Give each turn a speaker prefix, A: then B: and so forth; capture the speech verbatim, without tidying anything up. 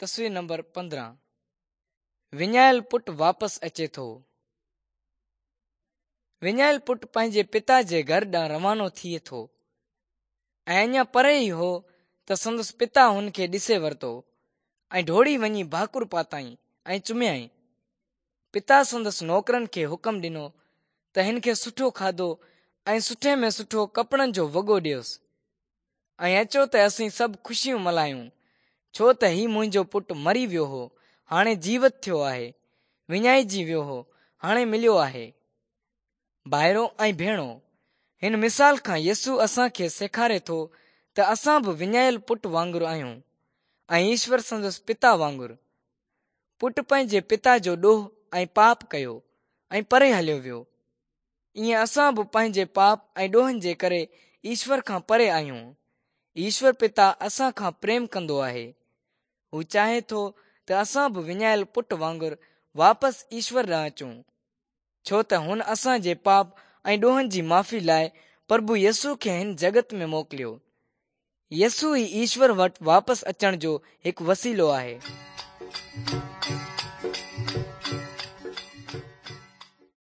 A: تصوير نمبر پندرهن. وڃايل پٽ واپس اچي ٿو. وڃايل پٽ پنهنجي پتا جي گهر ڏانهن روانو ٿئي ٿو ۽ اڃا پري ئي هو ته سندس پتا هن کي ڏسي ورتو ۽ ڊوڙي وڃي ڀاڪر پاتائين ۽ چميائين. پتا سندس نوڪرن کي حڪم ڏنو ته هن کي سٺو کاڌو ۽ سٺي ۾ سٺو ڪپڙن جو وڳو ڏيوس ۽ اچو ته اسين سڀ خوشيون ملهايون، ڇو ته هي منهنجو پٽ مري ويو هو، هاڻي جيوت ٿيو آهي، وڃائجي ويو هو، هاڻي مليو آهي. ڀائرو ۽ ڀيڻو، هن مثال کان يسوع اسان کي سيکاري ٿو ته اسان به وڃايل پٽ وانگر آهيون ۽ ايشور سندس پتا وانگر. پٽ پنهنجي پتا جو ڏوهه ۽ پاپ ڪيو ۽ پري هليو ويو. ائين اسان به پنهنجي پاپ ۽ ڏوهن جي ڪري ايشور کان پري آهيون. ايشور پتا اسان کان پريم ڪندو آهي. هو چاهي ٿو ته اسان به وڃايل پٽ وانگر واپس ايشور ڏانهن اچون، ڇو ته هن اسان جي پاپ ۽ ڏوهن جي معافي لاءِ پرڀو يسوع کي هن جڳت ۾ موڪليو. يسوع ئي ايشور وٽ واپس اچڻ جو هڪ وسيلو آهي.